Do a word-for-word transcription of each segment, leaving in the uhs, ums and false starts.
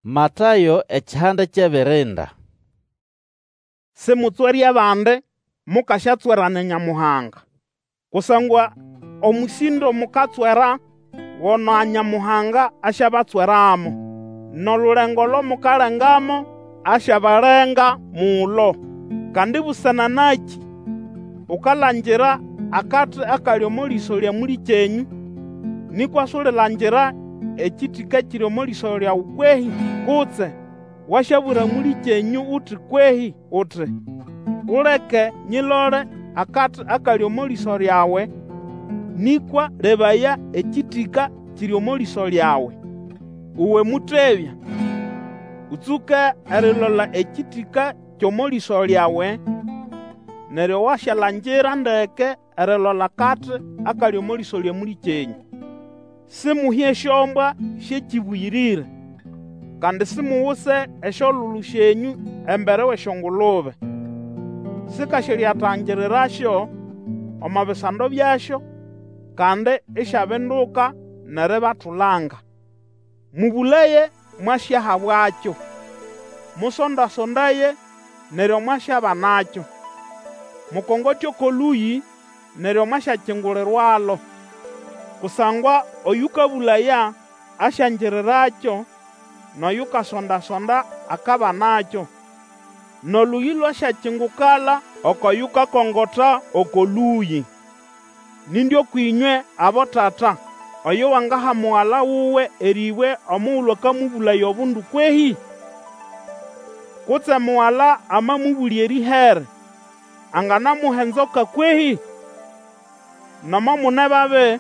Matayo ekihanda ky'ebirinda. Simutswere abandi, mukasyatswera na Nyamuhanga. Kusangwa omũsĩndo mukatswera, go na Nyamuhanga asyabatsweramo, n'olulengo olo mukalengamo, asyabalenga mulo. Kandi busana nakĩ ukalangira akati akali omo lĩso lya mũlĩkyenyũ, nĩkwa sulilangira ekĩtĩka kiri omo lĩso lyawe kwehĩ? Kutse wasyabwira mũlĩkyenyũ uti kwehĩ uti, Uleke nyilole akati akali omo lĩso lyawe, nĩkwa lebaya, ekĩtĩka kiri omo lĩso lyawe. Uwe mũtebya! Ũtsũke erilola ekĩtĩka ky'omo lĩso lyawe, neryo wasyalangira ndeke erilola akati akali omo lĩso lya mũlĩkyenyũ. Simuhe esyombwa sy'ekĩbũyĩrĩre, kandi simuguse esyolulu syenyũ embere w'esyongulube. Sikasyalyatangirirasyo omo bisando byasyo, kandi isyabinduka n'eribatulanga. Mũbũlaye, mwasyahabwakyo; musonda-sondaye, neryo mwasyabanakyo; mukongote oko lũyĩ, neryo mwasyakingulirwalo. Kusangwa oyũkabũlaya, asyangirirakyo, n'oyukasonda-sonda akabanakyo, n'olũyĩ lwasyakingukala oko yukakongota oko lũyĩ. Nindi ũkw'ĩnywe abotata, oyo wangaha mugala wuwe erĩbwe omugulu akamũbũlaya obundu kwehĩ? Kutse mugala amamũbũlya erĩhere, anganamuha enzoka kwehĩ? Nomo mune babi,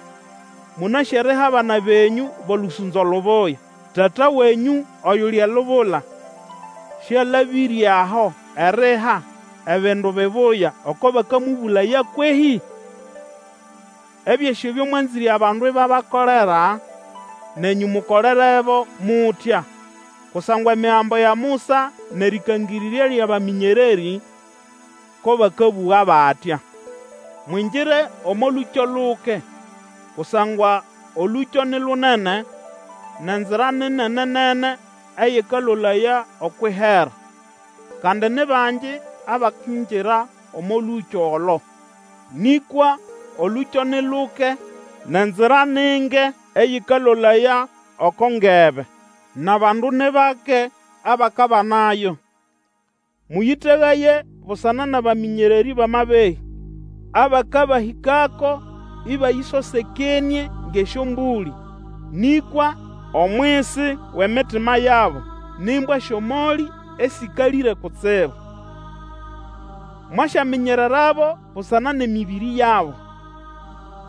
mũnasĩ eriha abana benyũ b'olũsũnzo lubuya, Tata wenyũ oyuli elubula sĩalabĩre aho eriha ebindu bibuya oko bakamũbũlaya kwehĩ? Ebyosĩ ebyo mwanzĩre abandu ibabakolera, nenyũ mukolerebo mutya. Kusangwa Emigambo ya Musa n'erĩkangĩrĩrya ly'abamĩnyererĩ ko bakabũga batya. Mwingire omo lũkyo luke, kusangwa olũkyo ni lunene, n'enzira ni nene-nene eyikalolaya okw'ihera, kandi ni bangi abakingira omo lũkyo olo. Nĩkwa olũkyo ni luke, n'enzira ni nge eyĩkalolaya oko ngebe, n'abandu ni bake abakabanayo. Mũyĩtegaye busana n'abamĩnyererĩ b'amabehĩ, abakabahĩkako ĩbayĩsosekenĩe ng'esyombũlĩ, nĩkwa omwisi w'emitima yabo ni mbwa sy'omolĩ esĩkalĩre kutsibu. Mwasyaminyererabo busana n'emĩbĩrĩ yabo.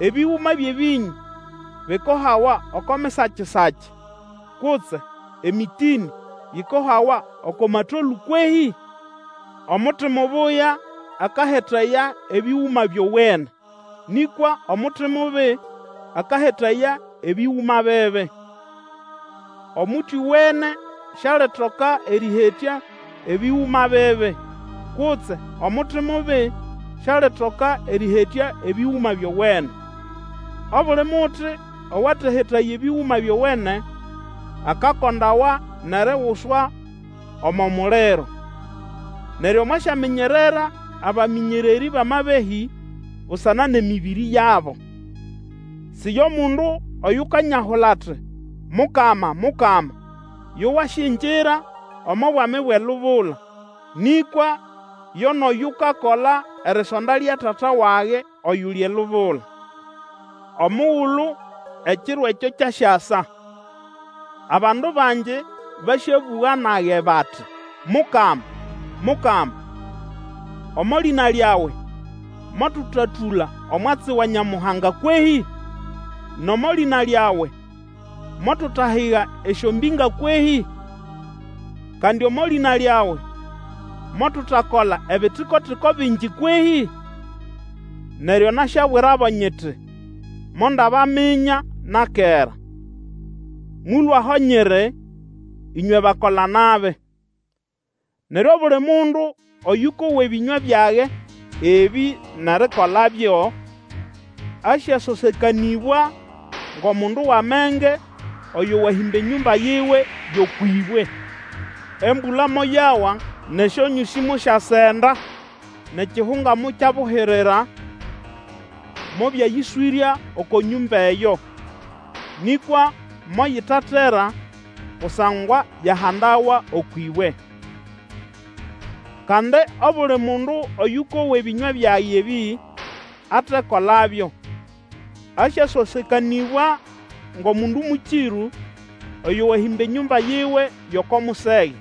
Ebĩgũma by'ebĩnyũ bikohawa oko misachi-sachi, kutse emĩtĩnĩ yikohawa oko matolũ kwehĩ? Omuti mubuya akahetaya ebĩgũma byowene, nĩkwa omuti mubi akahetaya ebĩgũma bibi. Omuti owene sialitoka erĩhetya ebĩgũma bibi, kutse omuti mubi sialitoka erĩhetya ebĩgũma byowene. Obuli muti owatahetaya ebĩgũma byowene akakondawa n'eriguswa omo muliro. Neryo mwasyaminyerera abamĩnyererĩ b'amabehĩ busana n'emĩbĩrĩ yabo. Si yo mundu oyukanyahula ati, Mukama, Mukama, yo wasyingira omo Bwami bw'elubula, nĩkwa yo n'oyukakola erisonda lya Tata wage oyuli elubula. Omugulu ekiro ekyo kyasyasa, abandu bangi basyabũga nage bati, Mukama, Mukama, omo lĩna lyawe motutatũla omwatsi wa Nyamuhanga kwehĩ? N'omo lĩna lyawe motutahiga esyombĩnga kwehĩ? Kandi omo lĩna lyawe motutakola ebitiko-tiko bingi kwehĩ? Neryo nasyabwirabo nyiti, Mondabaminya na kera. Mũlũe aho nyiri, ĩnywe bakola-nabi! Neryo obuli mundu oyũkowa ebĩnywa byage ebĩ n'erikolabyo, asyasosekanĩbwa ng'omundu w'amenge oyo wahĩmba enyũmba yiwe y'okw'ĩbwe. Embũla moyawa, n'esyonyũsĩ mosyasenda, n'ekihunga mokyabuhirira, mobyayĩswĩrya oko nyũmba eyo. Nĩkwa moyitatera, kusangwa yahandawa okw'ĩbwe. Kandi obuli mundu oyũkowa ebĩnywa byage ebĩ, atekolabyo, asyasosekanĩbwa ng'omundu mũkĩrũ, oyo wahĩmba enyũmba yiwe y'oko musege.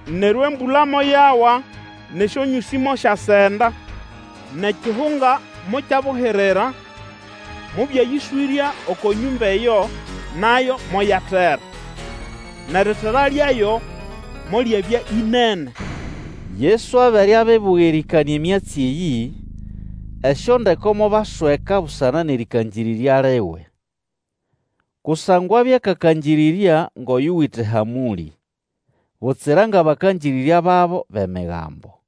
Neryo embũla moyawa, n'esyonyũsĩ mosyasenda, n'ekihunga mokyabuhirira, mobyayĩswĩrya oko nyũmba eyo, nayo moyatera. N'eritera lyayo molyabya ĩnene. Yesu abere abibuga erĩkanĩa emyatsi eyĩ, esyondeko mobasweka busana n'erĩkangĩrĩrya liwe. Kusangwa abya akakangĩrĩrya ng'oyuwite ehamũlĩ, butsira ng'abakangĩrĩrya babo b'Emigambo.